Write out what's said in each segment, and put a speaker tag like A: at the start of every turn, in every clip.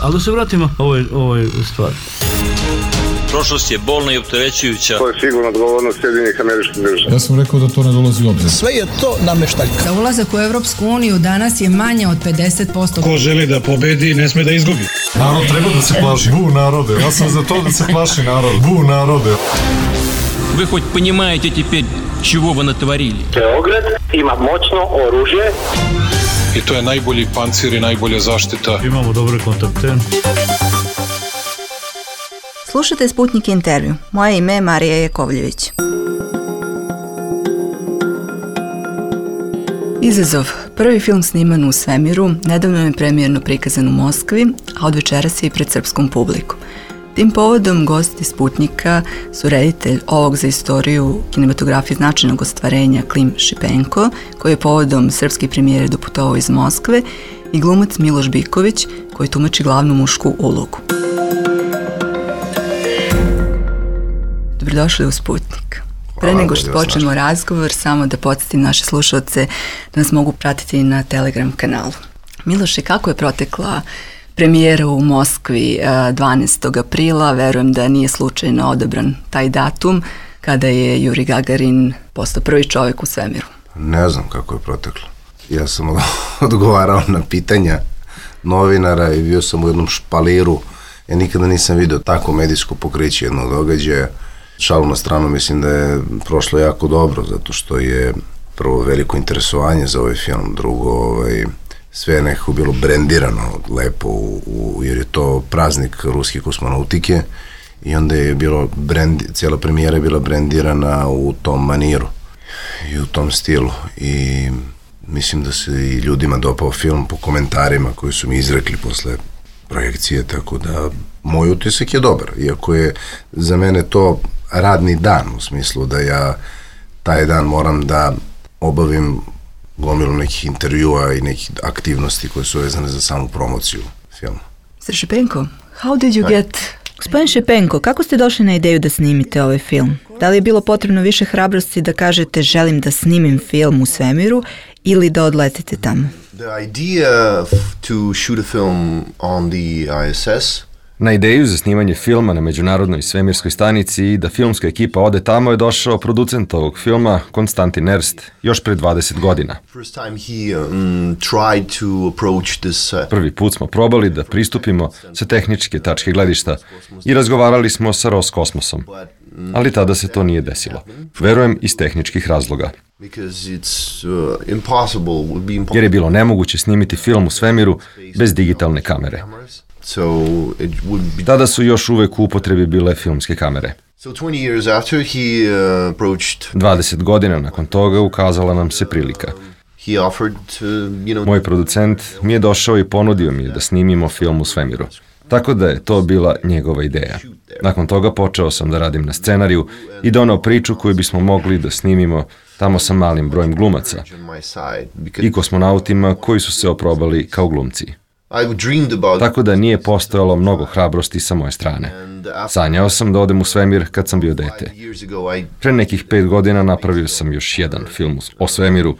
A: Ali da se vratimo ovoj stvari.
B: Prošlost je bolna i opterećujuća.
C: To je sigurno odgovornost Sjedinjenih Američkih Država.
D: Ja sam rekao da to ne dolazi u obzir.
E: Sve je to nameštaljka.
F: Za ulazak u Evropsku uniju danas je manje od 50%.
G: Ko želi da pobedi, ne sme da izgubi.
D: Narod treba da se plaši. Bu narode. Ja sam za to da se plaši narod. Bu narode.
H: Вы хоть понимаете теперь, чего вы натворили?
I: Beograd ima moćno oružje.
G: I to je najbolji pancir i najbolja zaštita.
A: Imamo dobre kontakte.
J: Slušajte Sputnik intervju. Moje ime je Marija Jakovljević. Izazov. Prvi film sniman u svemiru, nedavno je premijerno prikazan u Moskvi, a od večeras je i pred srpskom publikom. Tim povodom gosti Sputnika su reditelj ovog za istoriju kinematografije značajnog ostvarenja Klim Šipenko, koji je povodom srpske premijere doputovao iz Moskve, i glumac Miloš Biković, koji tumači glavnu mušku ulogu. Dobrodošli u Sputnik. Pre nego što počnemo razgovor, samo da podsjetim naše slušalce da nas mogu pratiti na Telegram kanalu. Miloše, kako je protekla premijera u Moskvi 12. aprila? Verujem da nije slučajno odabran taj datum kada je Juri Gagarin postao prvi čovjek u svemiru.
K: Ne znam kako je proteklo. Ja sam odgovarao na pitanja novinara i bio sam u jednom špaliru. Ja nikada nisam vidio tako medijsko pokriće jednog događaja. Šalu na stranu, mislim da je prošlo jako dobro, zato što je prvo veliko interesovanje za ovaj film, drugo sve je nekako bilo brendirano lepo, jer je to praznik ruske kosmonautike i onda je bilo cijela premijera je bila brendirana u tom maniru i u tom stilu i mislim da se i ljudima dopao film po komentarima koji su mi izrekli posle projekcije, tako da moj utisak je dobar, iako je za mene to radni dan, u smislu da ja taj dan moram da obavim gomilu nekih intervjua i nekih aktivnosti koje su vezane za samu promociju filma.
J: Mr. Šipenko, how did you get... Gospodin Šipenko, kako ste došli na ideju da snimite ovaj film? Da li je bilo potrebno više hrabrosti da kažete želim da snimim film u svemiru ili da odletite tamo?
K: The idea to shoot a film on the ISS.
L: Na ideju za snimanje filma na Međunarodnoj svemirskoj stanici i da filmska ekipa ode tamo je došao producent ovog filma, Konstantin Erst, još pre 20 godina. Prvi put smo probali da pristupimo sa tehničke tačke gledišta i razgovarali smo sa Roskosmosom, ali tada se to nije desilo. Verujem iz tehničkih razloga. Jer je bilo nemoguće snimiti film u svemiru bez digitalne kamere. Tada su još uvek u upotrebi bile filmske kamere. 20 godina nakon toga ukazala nam se prilika. Moj producent mi je došao i ponudio mi da snimimo film u svemiru. Tako da je to bila njegova ideja. Nakon toga počeo sam da radim na scenariju i donao priču koju bismo mogli da snimimo tamo sa malim brojem glumaca i kosmonautima koji su se oprobali kao glumci. Tako da nije postojalo mnogo hrabrosti sa moje strane. Sanjao sam da odem u svemir kad sam bio dete. Pre nekih 5 godina napravio sam još jedan film o svemiru,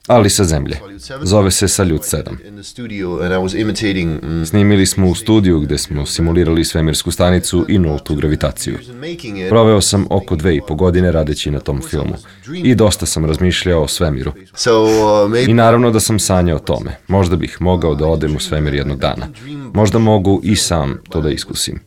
L: ali sa zemlje. Zove se Saljut 7. Snimili smo u studiju gde smo simulirali svemirsku stanicu i nultu gravitaciju. Proveo sam oko 2,5 godine radeći na tom filmu i dosta sam razmišljao o svemiru. I naravno da sam sanjao o tome. Možda bih mogao da odem u svemir jednog dana. Možda mogu i sam to da iskusim.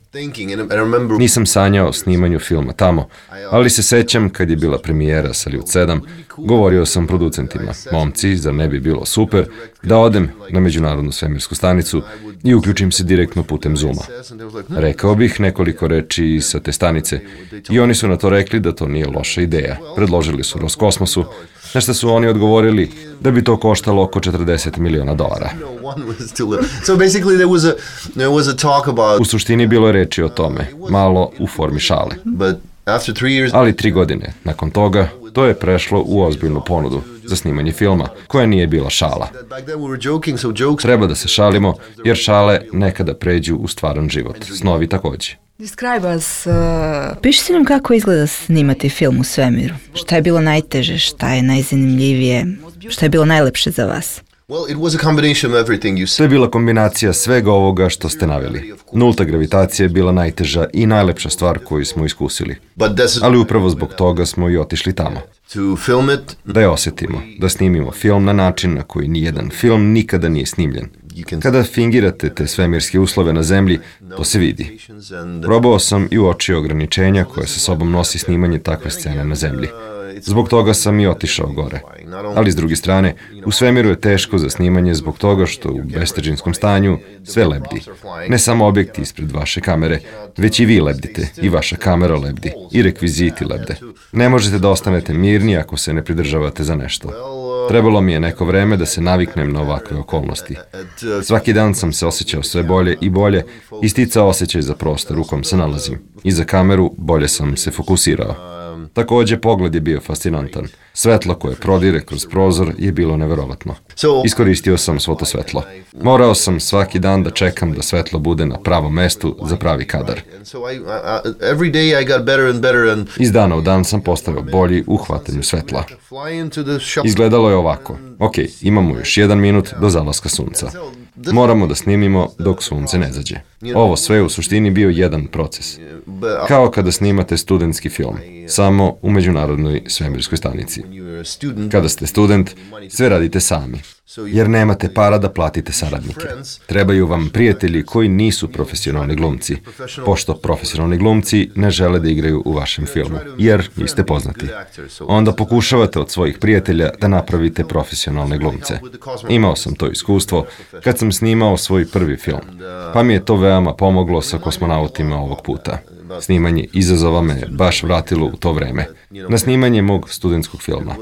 L: Nisam sanjao o snimanju filma tamo, ali se sećam kad je bila premijera Saljut 7, govorio sam producentima, momci, zar ne bi bilo super da odem na Međunarodnu svemirsku stanicu i uključim se direktno putem Zooma. Rekao bih nekoliko reči sa te stanice i oni su na to rekli da to nije loša ideja. Predložili su Roskosmosu, na što su oni odgovorili da bi to koštalo oko $40 miliona. U suštini bilo je reči o tome, malo u formi šale. Ali 3 godine nakon toga to je prešlo u ozbiljnu ponudu za snimanje filma, koja nije bila šala. Treba da se šalimo, jer šale nekada pređu u stvaran život, snovi takođe.
J: Describe us, pišite nam kako izgleda snimati film u svemiru. Šta je bilo najteže, šta je najzanimljivije, šta je bilo najlepše za vas?
L: To je bila kombinacija svega ovoga što ste naveli. Nulta gravitacija je bila najteža i najlepša stvar koju smo iskusili. Ali upravo zbog toga smo i otišli tamo. Da je osjetimo, da snimimo film na način na koji nijedan film nikada nije snimljen. Kada fingirate te svemirske uslove na zemlji, to se vidi. Probao sam i uočio ograničenja koje sa sobom nosi snimanje takve scene na zemlji. Zbog toga sam i otišao gore. Ali s druge strane, u svemiru je teško za snimanje zbog toga što u bestežinskom stanju sve lebdi. Ne samo objekti ispred vaše kamere, već i vi lebdite, i vaša kamera lebdi, i rekviziti lebde. Ne možete da ostanete mirni ako se ne pridržavate za nešto. Trebalo mi je neko vreme da se naviknem na ovakve okolnosti. Svaki dan sam se osjećao sve bolje i bolje i sticao osjećaj za prostor u kom se nalazim. I za kameru bolje sam se fokusirao. Takođe, pogled je bio fascinantan. Svetlo koje prodire kroz prozor je bilo neverovatno. Iskoristio sam svo to svetlo. Morao sam svaki dan da čekam da svetlo bude na pravom mestu za pravi kadar. Iz dana u dan sam postao bolji u hvatanju svetla. Izgledalo je ovako. Ok, imamo još 1 minut do zalaska sunca. Moramo da snimimo dok sunce ne zađe. Ovo sve u suštini bio jedan proces. Kao kada snimate studentski film, samo u Međunarodnoj svemirskoj stanici. Kada ste student, sve radite sami, jer nemate para da platite saradnike. Trebaju vam prijatelji koji nisu profesionalni glumci, pošto profesionalni glumci ne žele da igraju u vašem filmu, jer niste poznati. Onda pokušavate od svojih prijatelja da napravite profesionalne glumce. Imao sam to iskustvo kad sam snimao svoj prvi film, pa mi je to veoma pomoglo sa kosmonautima ovog puta. Snimanje izazova me baš vratilo u to vreme, na snimanje mog studentskog filma.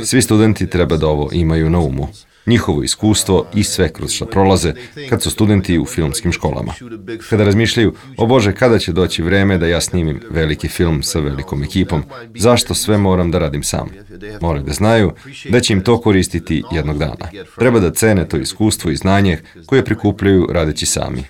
L: Svi studenti treba da ovo imaju na umu. Njihovo iskustvo i sve kroz što prolaze kad su studenti u filmskim školama. Kada razmišljaju, o Bože, kada će doći vreme da ja snimim veliki film sa velikom ekipom, zašto sve moram da radim sam? Moraju da znaju da će im to koristiti jednog dana. Treba da cene to iskustvo i znanje koje prikupljaju radeći sami.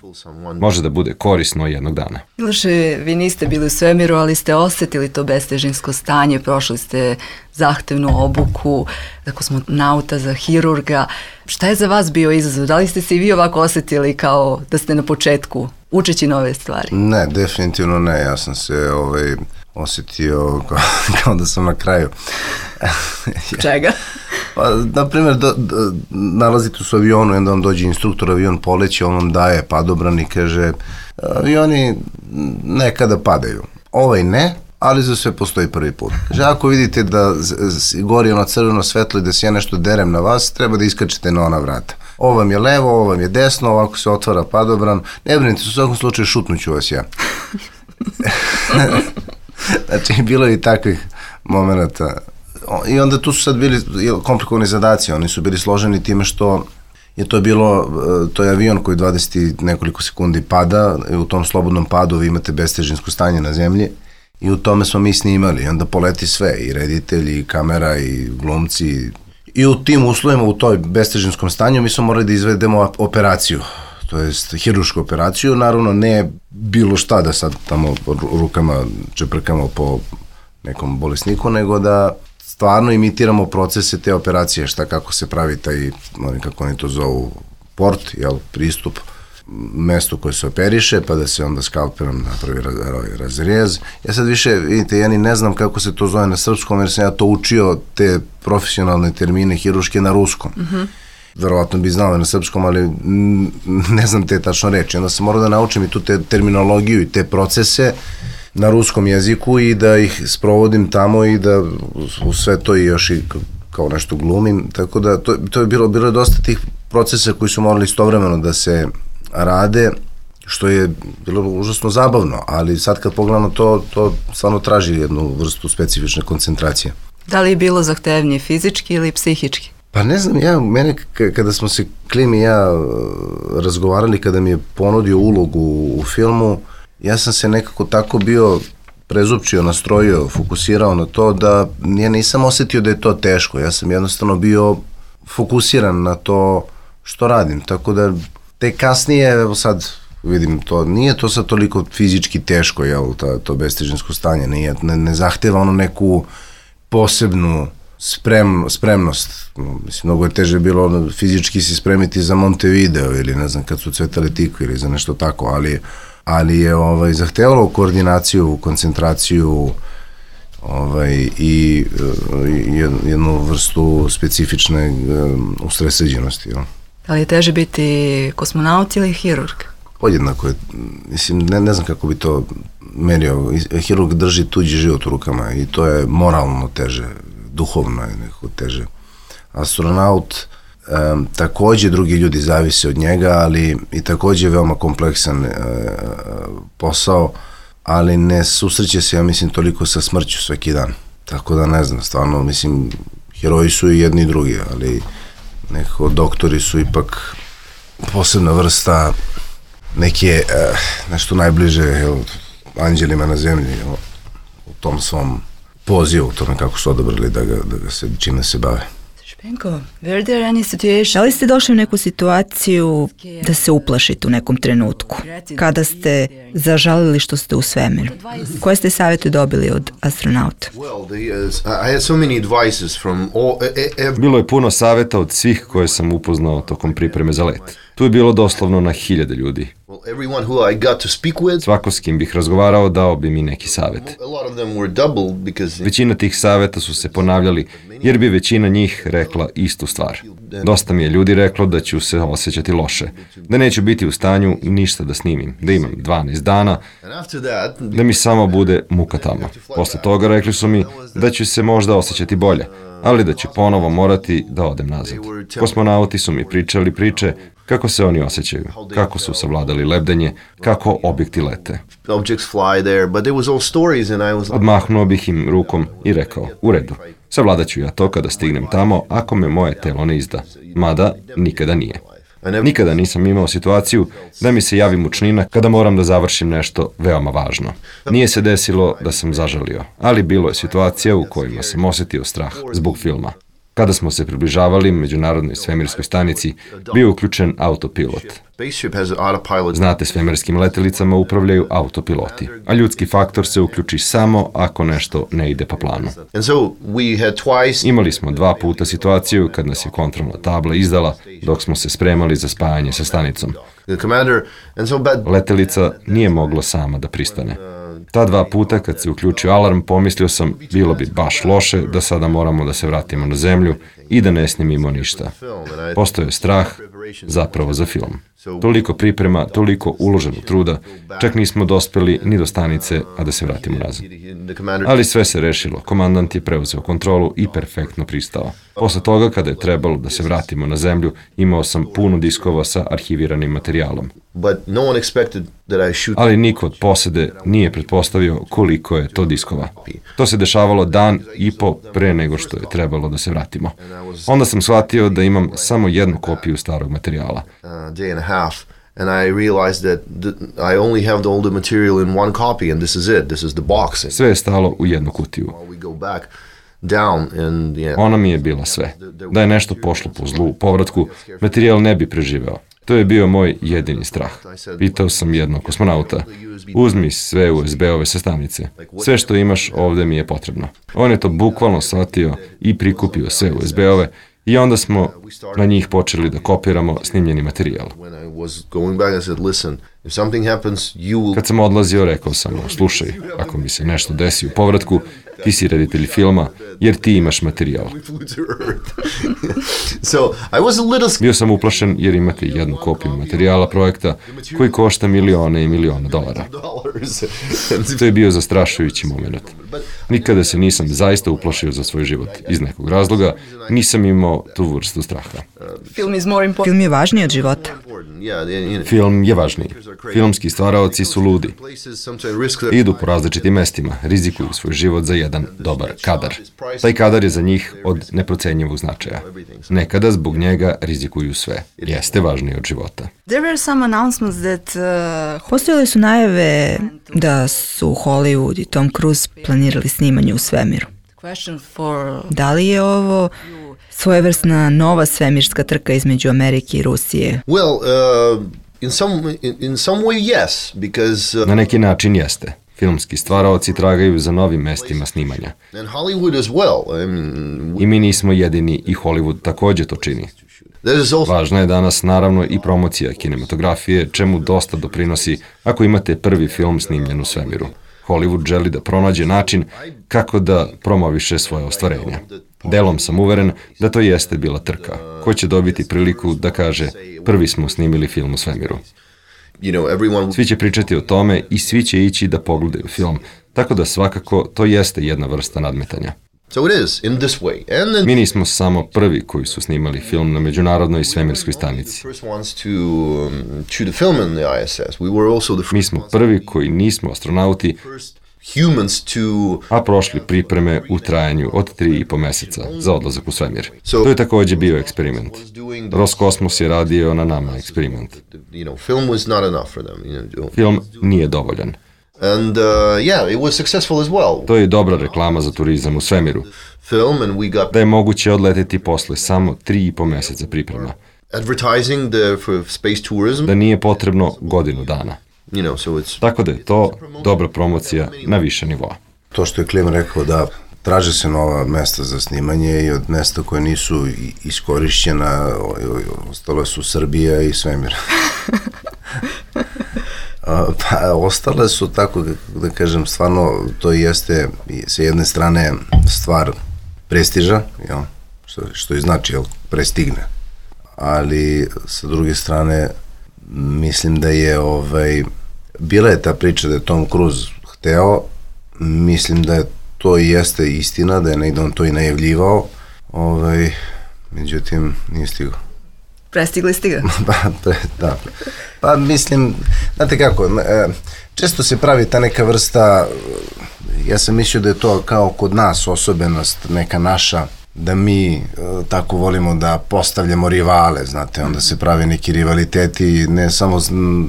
L: Može da bude korisno jednog dana.
J: Miloše, vi niste bili u svemiru, ali ste osjetili to bestežinsko stanje, prošli ste zahtevnu obuku za kosmonauta, za hirurga. Šta je za vas bio izazov? Da li ste se i vi ovako osjetili kao da ste na početku, učeći nove stvari?
K: Ne, definitivno ne. Ja sam se osjetio kao da sam na kraju.
J: Čega?
K: Pa, naprimjer, nalazite se u avionu i onda vam dođe instruktor, avion poleće, on vam daje padobran i kaže, avioni nekada padaju. Ovaj ne, ali za sve postoji prvi put. Kaže, ako vidite da gori ono crveno svetlo i da se ja nešto derem na vas, treba da iskačete na ona vrata. Ovo vam je levo, ovo vam je desno, ovako se otvara padobran. Ne brinite, u svakom slučaju šutnuću vas ja. Znači, bilo je i takvih momenta. I onda tu su sad bili komplikovani zadaci, oni su bili složeni time što je to bilo, to je avion koji 20 nekoliko sekundi pada, i u tom slobodnom padu vi imate bestežinsko stanje na zemlji i u tome smo mi snimali, i onda poleti sve, i reditelji, i kamera, i glumci, i u tim uslovima, u toj bestežinskom stanju mi smo morali da izvedemo operaciju, to jest hirušku operaciju, naravno ne bilo šta da sad tamo rukama čeprkamo po nekom bolesniku, nego da stvarno imitiramo procese te operacije, šta kako se pravi taj, kako oni to zovu, port, pristup mestu koje se operiše, pa da se onda skalperom napravi razrez. Ja sad više, vidite, ja ni ne znam kako se to zove na srpskom, jer sam ja to učio, te profesionalne termine hiruške na ruskom. Verovatno bi znao na srpskom, ali ne znam te tačno reči. Onda sam morao da naučim i tu terminologiju i te procese na ruskom jeziku i da ih sprovodim tamo i da u sve to i još i kao nešto glumim, tako da to je bilo dosta tih procesa koji su morali istovremeno da se rade, što je bilo užasno zabavno, ali sad kad pogledamo to stvarno traži jednu vrstu specifične koncentracije.
J: Da li je bilo zahtevnije fizički ili psihički?
K: Pa ne znam, mene kada smo se Klim i ja razgovarali, kada mi je ponudio ulogu u filmu, ja sam se nekako tako bio prezupčio, nastrojio, fokusirao na to da ja nisam osjetio da je to teško. Ja sam jednostavno bio fokusiran na to što radim. Tako da te kasnije, evo sad vidim to, nije to sad toliko fizički teško, to bestežinsko stanje, ne zahteva ono neku posebnu spremnost. Mislim, mnogo je teže bilo fizički se spremiti za Montevideo ili ne znam kad su cvetali tikve ili za nešto tako, ali je zahtevalo koordinaciju, koncentraciju i jednu vrstu specifične usredsređenosti.
J: Ali je teže biti kosmonaut ili hirurg?
K: Podjednako je, mislim, ne znam kako bi to merio. Hirurg drži tuđi život u rukama i to je moralno teže, duhovno je nekako teže. Astronaut, takođe drugi ljudi zavise od njega, ali i takođe veoma kompleksan posao, ali ne susreće se, ja mislim, toliko sa smrću svaki dan. Tako da ne znam, stvarno, mislim, heroji su i jedni i drugi, ali nekako doktori su ipak posebna vrsta neke, nešto najbliže anđelima na zemlji, u tom svom pozivu, u tome kako su odabrali da ga se, čime se bave.
J: Špenko, da li ste došli u neku situaciju da se uplašite u nekom trenutku? Kada ste zažalili što ste u svemiru? Koje ste savjete dobili od astronauta?
L: Bilo je puno savjeta od svih koje sam upoznao tokom pripreme za let. Tu je bilo doslovno na 1000 ljudi. Svako s kim bih razgovarao dao bi mi neki savjet. Većina tih savjeta su se ponavljali jer bi većina njih rekla istu stvar. Dosta mi je ljudi reklo da ću se osjećati loše, da neću biti u stanju ništa da snimim, da imam 12 dana, da mi samo bude muka tamo. Posle toga rekli su mi da ću se možda osjećati bolje, ali da ću ponovo morati da odem nazad. Kosmonauti su mi pričali priče kako se oni osjećaju, kako su savladali lebdenje, kako objekti lete. Odmahnuo bih im rukom i rekao, u redu, savladat ću ja to kada stignem tamo ako me moje telo ne izda, mada nikada nije. Nikada nisam imao situaciju da mi se javi mučnina kada moram da završim nešto veoma važno. Nije se desilo da sam zažalio, ali bilo je situacija u kojima sam osjetio strah zbog filma. Kada smo se približavali Međunarodnoj svemirskoj stanici, bio je uključen autopilot. Znate, svemirskim letelicama upravljaju autopiloti, a ljudski faktor se uključi samo ako nešto ne ide po planu. Imali smo 2 puta situaciju kad nas je kontrolna tabla izdala dok smo se spremali za spajanje sa stanicom. Letelica nije mogla sama da pristane. Ta 2 puta kad se uključio alarm, pomislio sam bilo bi baš loše da sada moramo da se vratimo na zemlju i da ne snimimo ništa. Postoje je strah zapravo za film. Toliko priprema, toliko uloženog truda, čak nismo dospeli ni do stanice, a da se vratimo nazad. Ali sve se rešilo, komandant je preuzeo kontrolu i perfektno pristao. Posle toga, kada je trebalo da se vratimo na zemlju, imao sam puno diskova sa arhiviranim materijalom. Ali niko od posede nije pretpostavio koliko je to diskova. To se dešavalo dan i po pre nego što je trebalo da se vratimo. Onda sam shvatio da imam samo jednu kopiju starog materijala.
E: And I realized that I only have the older material in one copy and this is it. This is the box.
L: Sve je stalo u jednu kutiju. Ona mi je bila sve. Da je nešto pošlo po zlu u povratku, materijal ne bi preživeo. To je bio moj jedini strah. Pitao sam jednog kosmonauta, uzmi sve USB-ove sa stanice. Sve što imaš ovde mi je potrebno. On je to bukvalno shvatio i prikupio sve USB-ove i onda smo na njih počeli da kopiramo snimljeni materijal. Kad sam odlazio, rekao sam mu, slušaj, ako mi se nešto desi u povratku, ti si reditelj filma, jer ti imaš materijal. Bio sam uplašen jer imate jednu kopiju materijala projekta koji košta milione i milione dolara. To je bio zastrašujući moment. Nikada se nisam zaista uplašio za svoj život. Iz nekog razloga nisam imao tu vrstu straha.
J: Film je važniji od života.
L: Film je važniji. Filmski stvaraoci su ludi. Idu po različitim mestima, rizikuju svoj život za jedan dobar kadar. Taj kadar je za njih od neprocenjivog značaja. Nekada zbog njega rizikuju sve. Jeste važniji od života.
J: Postojale su najave da su Hollywood i Tom Cruise planirali snimanje u svemiru. Da li je ovo svojevrsna nova svemirska trka između Amerike i Rusije?
L: Na neki način jeste. Filmski stvaraoci tragaju za novim mestima snimanja. I mi nismo jedini i Hollywood takođe to čini. Važna je danas naravno i promocija kinematografije, čemu dosta doprinosi ako imate prvi film snimljen u svemiru. Hollywood želi da pronađe način kako da promoviše svoje ostvarenja. Delom sam uveren da to jeste bila trka. Ko će dobiti priliku da kaže prvi smo snimili film u svemiru. Svi će pričati o tome i svi će ići da pogledaju film, tako da svakako to jeste jedna vrsta nadmetanja. Mi nismo samo prvi koji su snimali film na međunarodnoj svemirskoj stanici. Mi smo prvi koji nismo astronauti, a prošli pripreme u trajanju od 3,5 meseca za odlazak u svemir. To je takođe bio eksperiment. Roskosmos je radio na nama eksperiment. Film nije dovoljan. To je dobra reklama za turizam u svemiru. Da je moguće odleteti posle samo 3,5 meseca priprema. Da nije potrebno godinu dana. Tako da je to dobra promocija na više nivoa.
K: To što je Klim rekao da traže se nova mesta za snimanje i od mesta koje nisu iskorišćena ostalo su Srbija i svemir. Pa ostale su, tako da kažem, stvarno to jeste sa jedne strane stvar prestiža, jel? Što i znači, jel, prestigne. Ali sa druge strane mislim da je bila je ta priča da je Tom Cruise hteo, mislim da je to i jeste istina, da je negde on to i najavljivao, međutim nije stigao.
J: Prestigli ste ga?
K: Da. Pa mislim, znate kako, često se pravi ta neka vrsta, ja sam mislio da je to kao kod nas osobenost, neka naša, da mi tako volimo da postavljamo rivale, znate, onda se pravi neki rivaliteti, ne samo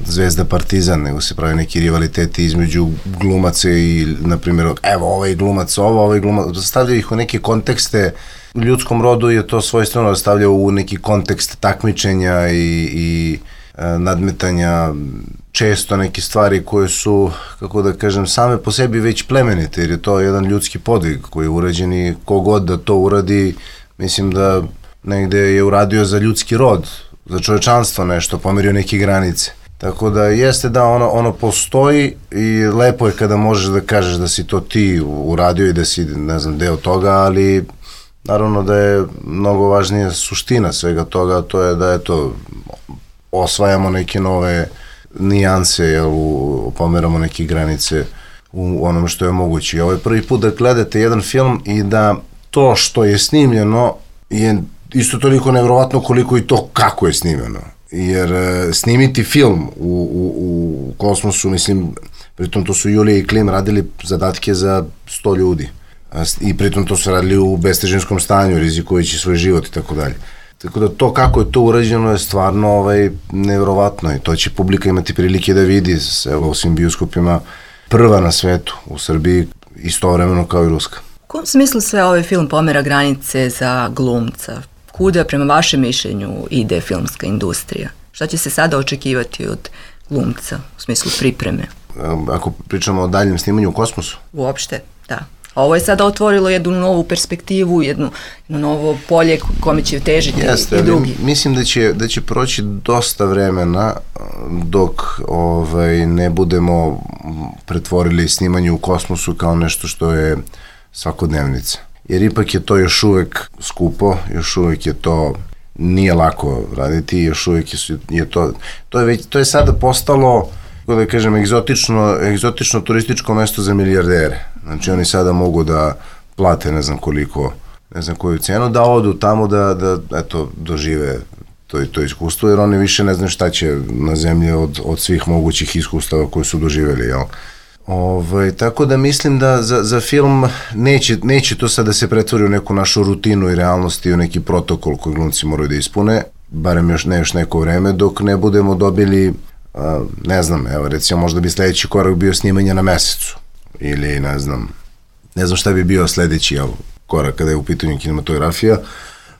K: Zvezda Partizan, nego se pravi neki rivaliteti između glumaca i, na primjer, evo, ovaj glumac ovo, ovaj glumac, stavljaju ih u neke kontekste. U ljudskom rodu je to svojstveno stavljao u neki kontekst takmičenja i nadmetanja, često neke stvari koje su, kako da kažem, same po sebi već plemenite, jer je to jedan ljudski podvig koji je urađen i kogod da to uradi, mislim da negde je uradio za ljudski rod, za čovečanstvo nešto, pomerio neke granice. Tako da jeste da ono postoji i lepo je kada možeš da kažeš da si to ti uradio i da si, ne znam, deo toga, ali naravno da je mnogo važnija suština svega toga, to je da, eto, osvajamo neke nove nijanse, pomeramo neke granice u onome što je moguće. I ovo je prvi put da gledate jedan film i da to što je snimljeno je isto toliko nevjerovatno koliko i to kako je snimljeno. Jer snimiti film u kosmosu, mislim, pritom to su Julija i Klim radili zadatke za 100 ljudi. I pritom to su radili u bestežinskom stanju, rizikujući svoj život i tako dalje. Tako da to kako je to urađeno je stvarno nevjerovatno i to će publika imati prilike da vidi u svim bioskopima, prva na svetu u Srbiji, istovremeno kao i ruska.
J: U kom smislu sve ovaj film pomera granice za glumca? Kuda, prema vašem mišljenju, ide filmska industrija? Šta će se sada očekivati od glumca u smislu pripreme?
K: Ako pričamo o daljem snimanju u kosmosu?
J: Uopšte, da. Ovo je sada otvorilo jednu novu perspektivu, jedno novo polje kome će težiti i drugi.
K: Mislim da će proći dosta vremena dok ne budemo pretvorili snimanje u kosmosu kao nešto što je svakodnevnica. Jer ipak je to još uvek skupo, još uvek je to, nije lako raditi, još uvek je to je sada postalo, da kažem, egzotično turističko mesto za milijardere. Znači oni sada mogu da plate ne znam koju cenu, da odu tamo da eto, dožive to iskustvo, jer oni više ne znaju šta će na zemlji od svih mogućih iskustava koje su doživjeli, jel? Tako da mislim da za film neće to sad da se pretvori u neku našu rutinu i realnost i u neki protokol koji glumci moraju da ispune, barem još neko vreme, dok ne budemo dobili, ne znam, evo recimo možda bi sledeći korak bio snimanje na mesecu ili ne znam šta bi bio sledeći korak kada je u pitanju kinematografija,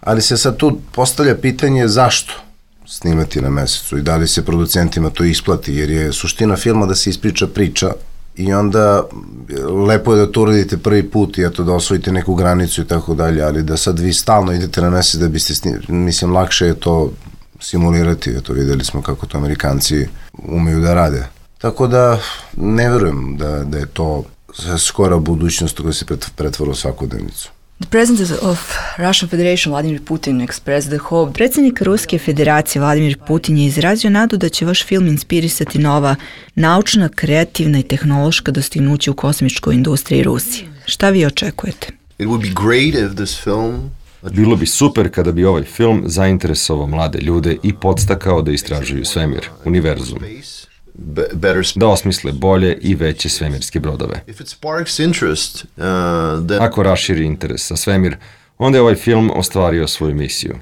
K: ali se sad tu postavlja pitanje zašto snimati na mesecu i da li se producentima to isplati, jer je suština filma da se ispriča priča I onda lepo je da to uradite prvi put i eto da osvojite neku granicu i tako dalje, ali da sad vi stalno idete na mesec da biste mislim, lakše je to simulirati, eto videli smo kako to Amerikanci umeju da rade. Tako da ne verujem da je to skora budućnost koja se pretvara u svakodnevnicu.
J: The president of Russian Federation Vladimir Putin expressed the hope. Predsjednik Ruske federacije Vladimir Putin je izrazio nadu da će vaš film inspirisati nova naučna, kreativna i tehnološka dostignuća u kosmičkoj industriji Rusije. Šta vi očekujete?
E: It would be great if this film
L: Bilo bi super kada bi ovaj film zainteresovao mlade ljude i podstakao da istražuju svemir, univerzum, da osmisle bolje i veće svemirske brodove. Ako raširi interes za svemir, onda je ovaj film ostvario svoju misiju.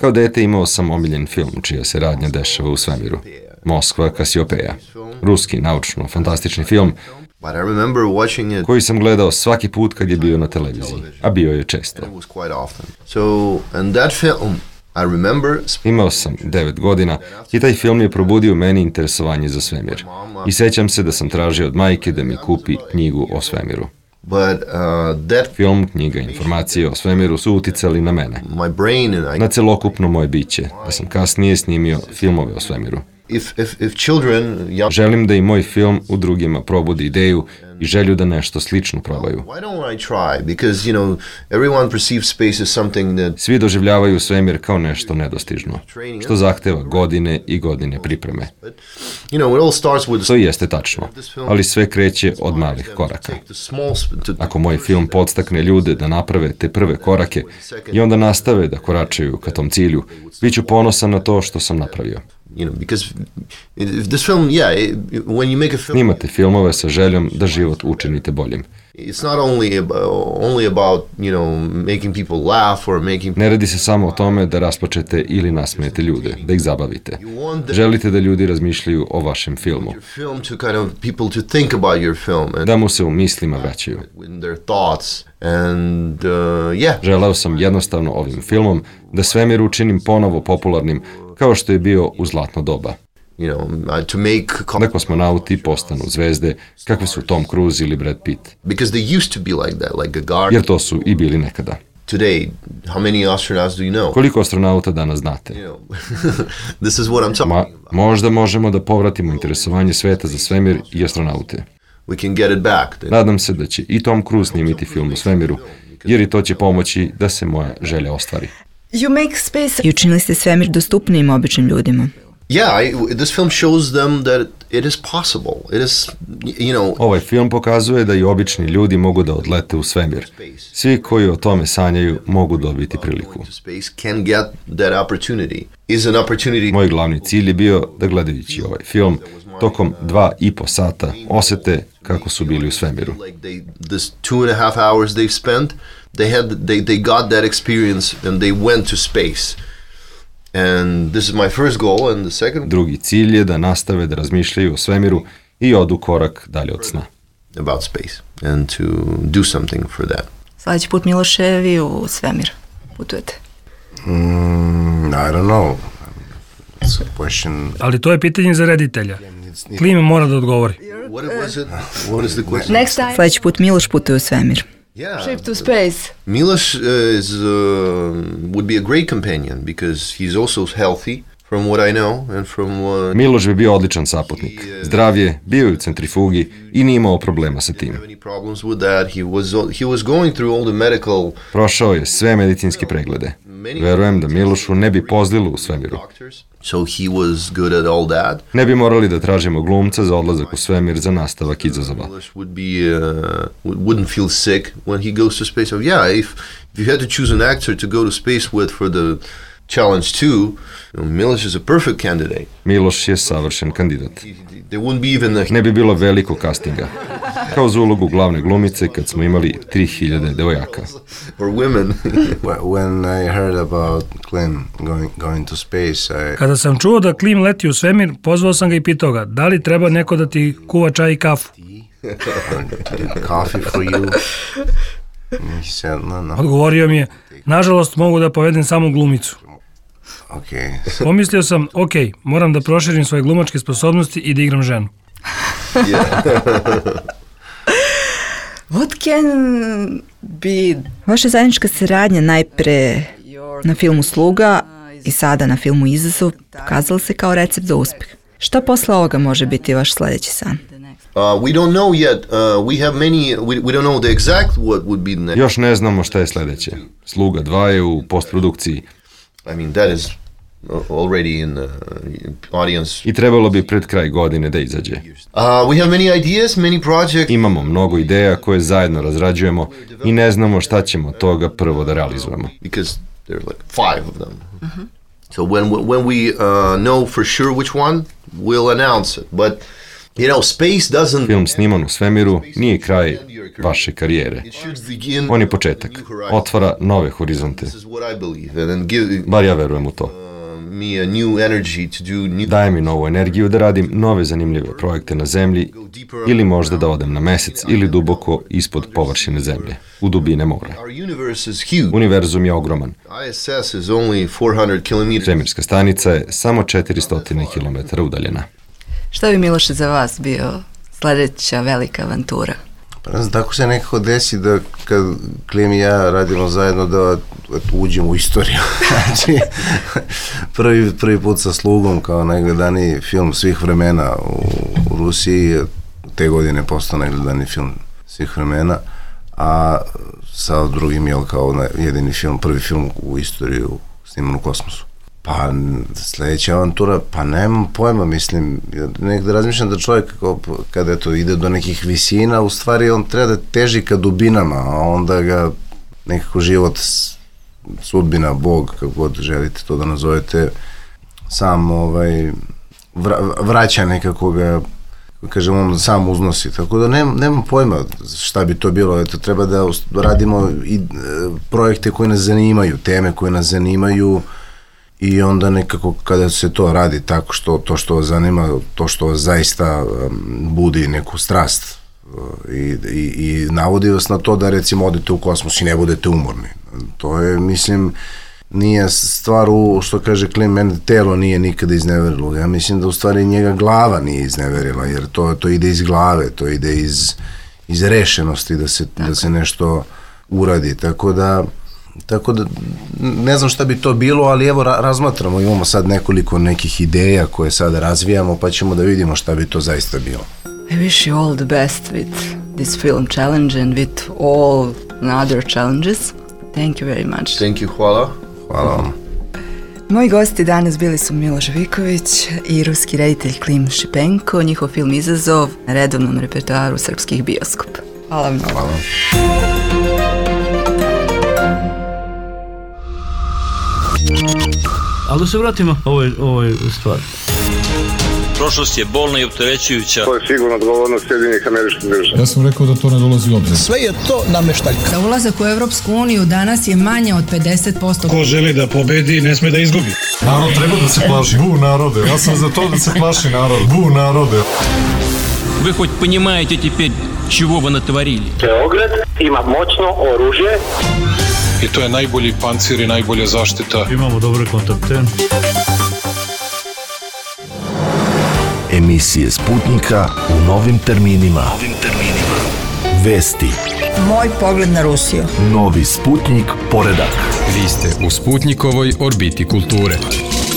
L: Kao dete imao sam omiljen film čija se radnja dešava u svemiru. Moskva Kasiopeja. Ruski, naučno-fantastični film koji sam gledao svaki put kad je bio na televiziji, a bio je često. Imao sam 9 godina i taj film je probudio meni interesovanje za svemir. I sećam se da sam tražio od majke da mi kupi knjigu o svemiru. Film, knjiga, informacije o svemiru su uticali na mene, na celokupno moje biće, da sam kasnije snimio filmove o svemiru. Želim da i moj film u drugima probudi ideju i želju da nešto slično probaju. Svi doživljavaju svemir kao nešto nedostižno, što zahteva godine i godine pripreme. To jeste tačno, ali sve kreće od malih koraka. Ako moj film podstakne ljude da naprave te prve korake i onda nastave da koračaju ka tom cilju, bit ću ponosan na to što sam napravio. Snimate filmove sa željom da život učinite boljim. Ne radi se samo o tome da rasplačete ili nasmejete ljude, da ih zabavite. Želite da ljudi razmišljaju o vašem filmu, da mu se u mislima vraćaju. Želeo sam jednostavno ovim filmom da svemir učinim ponovo popularnim kao što je bio u zlatno doba. Da kosmonauti postanu zvezde kakve su Tom Cruise ili Brad Pitt. Jer to su i bili nekada. Koliko astronauta danas znate? Možda možemo da povratimo interesovanje sveta za svemir i astronaute. Nadam se da će i Tom Cruise snimiti film o svemiru, jer i to će pomoći da se moja želja ostvari.
J: I učinili ste svemir dostupnijim običnim ljudima.
L: Ovaj film pokazuje da i obični ljudi mogu da odlete u svemir. Svi koji o tome sanjaju mogu dobiti priliku. Moj glavni cilj je bio da gledajući ovaj film tokom 2,5 sata osete kako su bili u svemiru.
E: They got that experience and they went to space. And this is my first goal, and the second.
L: Drugi cilj je da nastave da razmišljaju o svemiru i odu korak dalje od sna.
E: About space and to do something for that.
J: Sljedeći put, Miloše, vi u svemir putujete?
K: I don't know. It's a question.
M: Ali to je pitanje za reditelja. Klim mora da odgovori.
E: What is the question?
J: Sljedeći put Miloš putuje u svemir.
F: Trip to space.
E: Miloš would be a great companion because he's also healthy from what I know and from
L: Miloš bi bio odličan saputnik. Zdrav je, bio je u centrifugi i nije imao problema sa tim. Prošao je sve medicinske preglede. Verujem da Milošu ne bi pozlilo u svemiru. Ne bi morali da tražimo glumca za odlazak u svemir za nastavak izazova.
E: Wouldn't feel sick when he goes to space. So yeah, if you had to choose an actor to go to space with for the challenge 2, Miloš is a perfect candidate.
L: Miloš je savršen kandidat.
E: There wouldn't be even
L: Ne bi bilo velikog castinga. Kao za ulogu glavne glumice kad smo imali 3000 devojaka.
E: Or women.
K: When I heard about Klim going to space,
M: Kada sam čuo da Klim leti u svemir, pozvao sam ga i pitao ga, da li treba neko da ti kuva čaj i kafu?
K: Coffee for you. He said, no.
M: Odgovorio mi je, nažalost mogu da povedem samo glumicu.
K: Okay.
M: Pomislio sam, ok, moram da proširim svoje glumačke sposobnosti i da igram ženu.
J: What can be... Vaša zajednička saradnja najpre na filmu Sluga i sada na filmu Izazov pokazala se kao recept za uspeh. Šta posle ovoga može biti vaš sledeći san?
E: We don't know yet. We have many. We don't know the exact what would be the next.
L: Još ne znamo šta je sledeće. Sluga 2 je u postprodukciji.
E: I mean, that is already in the audience.
L: I trebalo bi pred kraj godine da izađe.
E: We have many ideas, many projects.
L: Imamo mnogo ideja koje zajedno razrađujemo i ne znamo šta ćemo od toga prvo da realizujemo.
E: Because there are like 5 of them. So when we know for sure which one, we'll announce it. But you know, space doesn't...
L: Film sniman u svemiru nije kraj vaše karijere. On je početak. Otvara nove horizonte. Bar ja verujem u to. Daje mi novu energiju da radim nove zanimljive projekte na zemlji ili možda da odem na mesec ili duboko ispod površine zemlje, u dubine mora. Univerzum je ogroman. Svemirska stanica je samo 400 km udaljena.
J: Šta bi, Miloše, za vas bio sledeća velika avantura?
K: Pa ne znam, tako se nekako desi da kad Klim i ja radimo zajedno da uđemo u istoriju. Znači, prvi put sa Slugom kao najgledaniji film svih vremena u Rusiji, te godine postao najgledaniji film svih vremena, a sa drugim je kao jedini film, prvi film u istoriju sniman u kosmosu. Pa sledeća avantura, pa nemam pojma, mislim, nekada razmišljam da čovjek kada ide do nekih visina, u stvari on treba da teži ka dubinama, a onda ga nekako život, sudbina, Bog, kako god želite to da nazovete, sam vraća nekako ga, kažem, on sam uznosi, tako da nemam pojma šta bi to bilo, eto, treba da radimo i projekte koje nas zanimaju, teme koje nas zanimaju, i onda nekako kada se to radi tako to što vas zanima, to što vas zaista budi neku strast i navodi vas na to da recimo odete u kosmos i ne budete umorni. To je, mislim, nije stvar što kaže Klim, mene telo nije nikada izneverilo. Ja mislim da u stvari njega glava nije izneverila, jer to ide iz glave, to ide iz rešenosti da se nešto uradi. Tako da ne znam šta bi to bilo, ali evo razmatramo, imamo sad nekoliko nekih ideja koje sad razvijamo, pa ćemo da vidimo šta bi to zaista bilo.
J: I wish you all the best with this film challenge and with all other challenges. Thank you very much.
E: Thank you, hvala.
K: Hvala vam.
J: Moji gosti danas bili su Miloš Viković i ruski reditelj Klim Šipenko, njihov film Izazov na redovnom repertoaru srpskih bioskopa. Hvala vam.
K: Hvala.
A: Ali da se vratimo ovoj stvari.
B: Prošlost je bolna i opterećujuća.
C: To je sigurno odgovornost Sjedinjenih Američkih Država.
D: Ja sam rekao da to ne dolazi u obzir.
F: Sve je to nameštaljka. Za ulazak u Evropsku uniju danas je manje od 50%.
M: Ko želi da pobedi, ne sme da izgubi.
D: Narod treba da se plaši. Bu narode. Ja sam za to da se plaši narod. Bu narode.
H: Вы хоть понимаете теперь, чего вы натворили?
I: Beograd ima moćno oružje.
G: I to je najbolji pancir i najbolja zaštita.
A: Imamo dobre kontakte.
N: Emisije Sputnika u novim terminima. Vesti.
F: Moj pogled na Rusiju.
N: Novi Sputnik poredak.
O: Vi ste u Sputnikovoj orbiti kulture.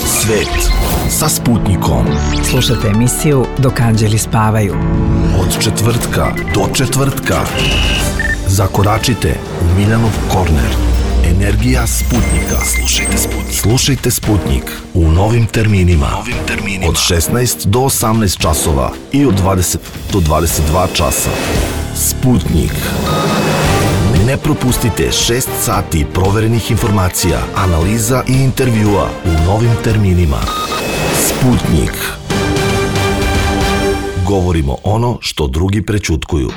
N: Svet sa Sputnikom.
P: Slušajte emisiju Dok anđeli spavaju.
N: Od četvrtka do četvrtka. Zakoračite u Miljanov korner. Energija Sputnika. Slušajte Sputnik u novim terminima. Od 16 do 18 časova i od 20 do 22 časa. Sputnik. Ne propustite 6 sati proverenih informacija, analiza i intervjua u novim terminima. Sputnik. Govorimo ono što drugi prećutkuju.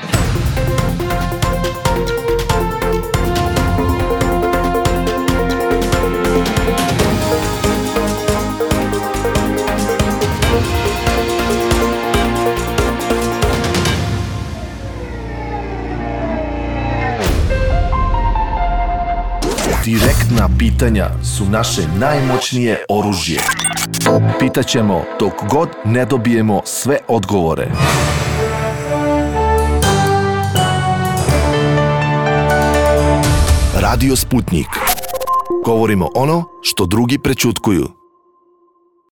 N: Direktna pitanja. pitanja su naše najmoćnije oružje. Pitaćemo dok god ne dobijemo sve odgovore. Radio Sputnik. Govorimo ono što drugi prećutkuju.